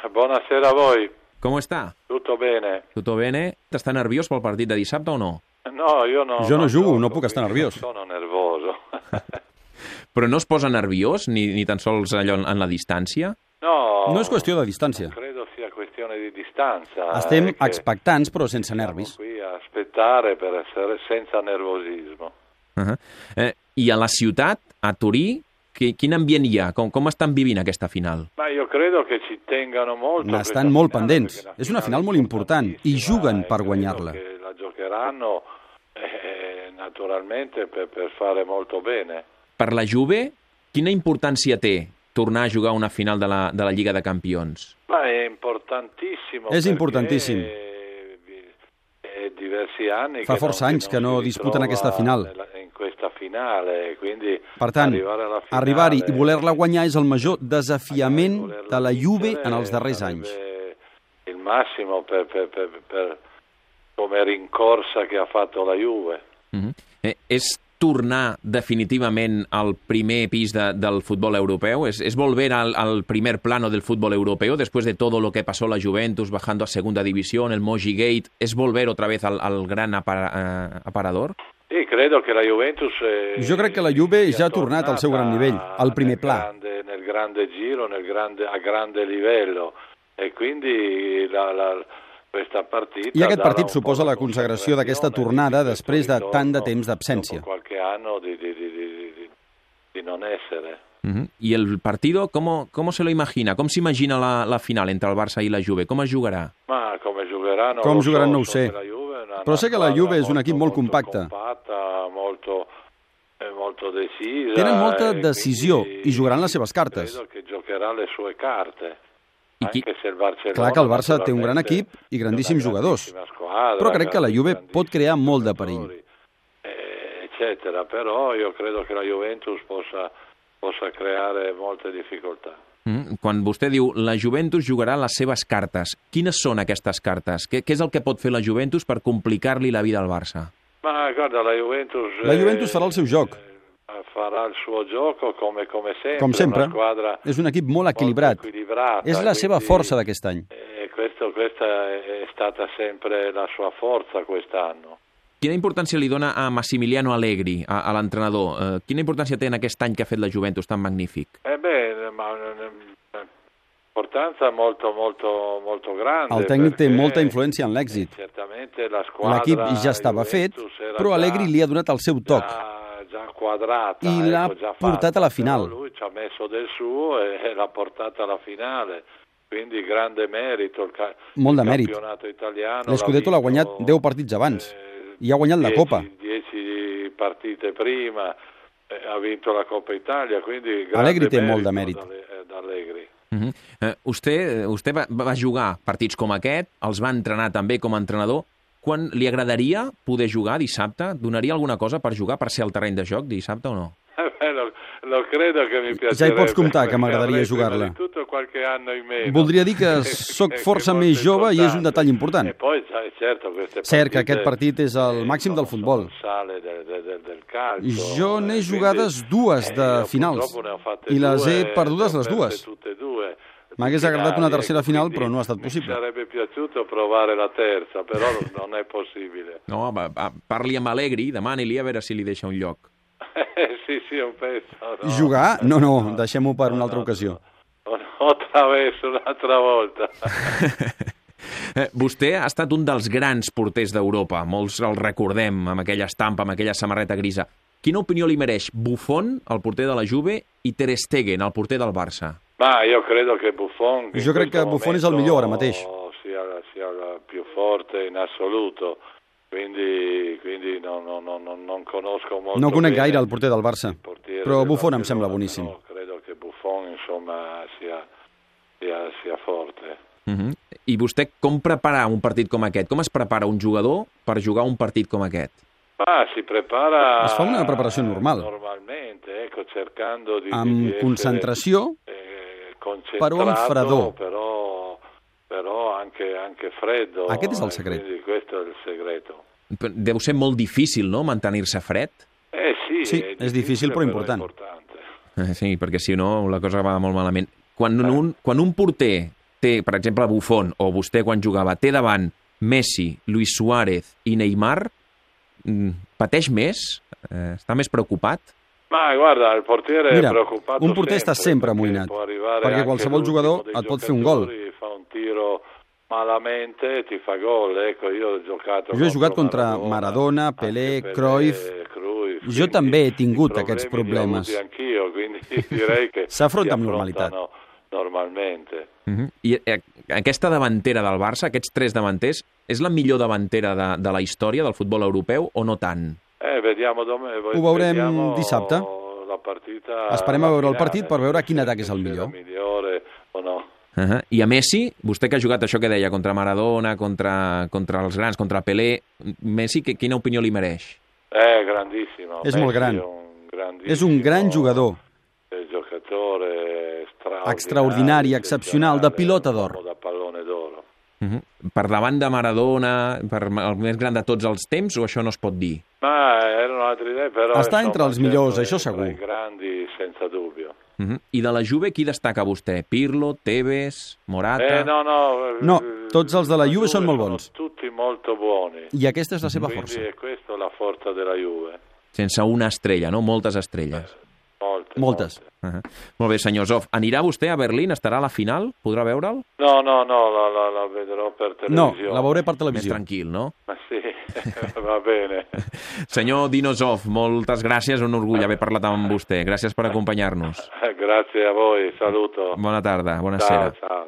Buonasera a voi. Com està? Tutto bene? Tutto bene? Està nerviós pel partit de dissabte o no? No, io no. Jo no jugo, gioco, no puc estar nerviós. Sono nervoso. Però no es posa nerviós, ni tan sols allò en la distància? No. No és qüestió de distància. Credo sia questione di distanza. Estem expectants, però sense nervis. Siamo qui a aspettare per essere senza nervosismo. I a la ciutat, a Turí, quin ambient hi ha? Com estan vivint aquesta final? Ma io credo che ci tengano molto. N'estan molt pendents. És una final molt important i juguen per guanyar-la. Che la giocheranno naturalmente per fare molto bene. Per la Juve, quina importància té tornar a jugar una final de la Lliga de Campions? Ma è importantissimo. És importantíssim. Diversi anni Fa força anys que no disputen aquesta final. In questa finale, quindi Per tant, arribar-hi i voler-la guanyar és el major desafiament de la Juve en els darrers anys. Il massimo per come rincorsa che ha fatto la Juve. És tornar definitivament al primer pis del futbol europeu? ¿Es volver al primer plano del fútbol europeo después de todo lo que pasó la Juventus bajando a segunda división, el Mogi Gate? ¿Es volver otra vez al gran aparador? Sí, credo que la Juventus... Jo crec que la Juve ja ha tornat al seu gran nivell, al primer pla. Nel grande giro, a grande livello. E quindi questa partita... I aquest partit suposa la consagració d'aquesta tornada després de tant de temps d'absència. Qualche anno di non essere. ¿Y el partido, cómo se lo imagina? ¿Cómo se imagina la final entre el Barça i la Juve? Com es jugarà? Ma come jugaran no ho sé. Però sé que la Juve és un equip molt compacte. Molto decisa. Tenen molta decisió i jugaran les seves cartes. Credo que giocherà le sue carte. Clar que el Barça té un gran equip i grandíssims jugadors, però crec que la Juve pot crear molt de perill. Eccetera, però io credo che la Juventus possa creare molte difficoltà. Quan vostè diu la Juventus jugarà les seves cartes, quines són aquestes cartes? Què és el que pot fer la Juventus per complicar-li la vida al Barça? Ma guarda, la Juventus farà el seu joc. Farà il suo gioco come sempre. Com sempre. És un equip molt equilibrat. És la seva força d'aquest any. Questa è stata sempre la sua forza quest'anno. Quina importància li dona a Massimiliano Allegri, a l'entrenador? Quina importància té en aquest any que ha fet la Juventus tan magnífic? Importanza molto grande. El tècnic té molta influència en l'èxit. L'equip ja estava fet, però Allegri li ha donat el seu toc i l'ha portat a la final. Lui ci ha messo del suo e l'ha portata alla finale. Quindi grande merito. Molt de mèrit. L'Scudetto l'ha guanyat 10 partits abans i ha guanyat la Copa. 10 partite prima, ha vinto la Coppa Italia, quindi Allegri té molt de mèrit. Vostè va jugar partits com aquest, els va entrenar també com a entrenador. Quan li agradaria poder jugar dissabte? Donaria alguna cosa per jugar, per ser al terreny de joc dissabte o no? Lo credo que mi piacerebbe. Ja hi pots comptar que m'agradaria jugar-la. Voldria dir que sóc força més jove i és un detall important. Cert que aquest partit és el màxim del futbol. Jo n'he jugades 2 de finals i les he perdudes les 2. M'hagués agradat una tercera final, però no ha estat possible. Sarebbe piaciuto provare la terza, però non è possibile. No, parli amb Allegri, demani-li a veure si li deixa un lloc. Sí, un pezzo. No. Jugar? No, deixem-ho per una altra ocasió. Otra vez, un'altra volta. Vostè ha estat un dels grans porters d'Europa, molts el recordem, amb aquella estampa, amb aquella samarreta grisa. Quina opinió li mereix Buffon, el porter de la Juve, i Ter Stegen, el porter del Barça? Io credo che Buffon... Jo crec que Buffon és el millor ara mateix. Sia il più forte in assoluto. Quindi non conosco molto. No conec gaire el porter del Barça, però Buffon em sembla boníssim. Credo che Buffon, insomma, sia forte. I vostè com prepara un partit com aquest? Com es prepara un jugador per jugar un partit com aquest? Si prepara... Es fa una preparació normal. Normalmente, cercando di amb concentració, però amb fredor. Però anche freddo. Aquest és el secret. Quindi questo è il segreto. Deu ser molt difícil, no?, mantenir-se fred? Sí, és difícil però important. Sí, perquè si no la cosa va molt malament. Quan un porter té, per exemple, Buffon, o vostè quan jugava, té davant Messi, Luis Suárez i Neymar, pateix més? Està més preocupat? Ma guarda, el portiere Mira, è preoccupato un porter està sempre amoïnat, perquè qualsevol jugador et pot fer un gol. Fa un tiro malamente, ti fa gol. Ecco, io ho giocato. Jo he jugat contra Maradona, Pelé, Cruyff. Jo també he tingut aquests problemes. S'afronta amb normalitat. Normalmente. I aquesta davantera del Barça, aquests 3 davanters, és la millor davantera de la història del futbol europeu o no tant? Ho veurem dissabte. Esperem a veure el partit per veure quin atac és el millor. I a Messi, vostè que ha jugat això que deia, contra Maradona, contra els grans, contra Pelé, Messi, quina opinió li mereix? Grandissimo. És molt gran. És un gran jugador. Extraordinari, excepcional, de pilota d'or. Per davant de Maradona, per el més gran de tots els temps, o això no es pot dir? Està entre els millors, això segur. I de la Juve, qui destaca vostè? Pirlo, Tevez, Morata? No, tots els de la Juve són molt bons. Tutti molto buoni. I aquesta és la seva força. Questa è la forza della Juve. Sense una estrella, no? Moltes estrelles. Moltes. Molt bé, senyor Zoff. Anirà vostè a Berlín? Estarà a la final? Podrà veure'l? No, la vedrò per televisió. No, la veuré per televisió. Més tranquil, no? Sí, va bene. Senyor Dino Zoff, moltes gràcies, un orgull haver parlat amb vostè. Gràcies per acompanyar-nos. Grazie a voi, saluto. Bona tarda, bona sera. Ciao.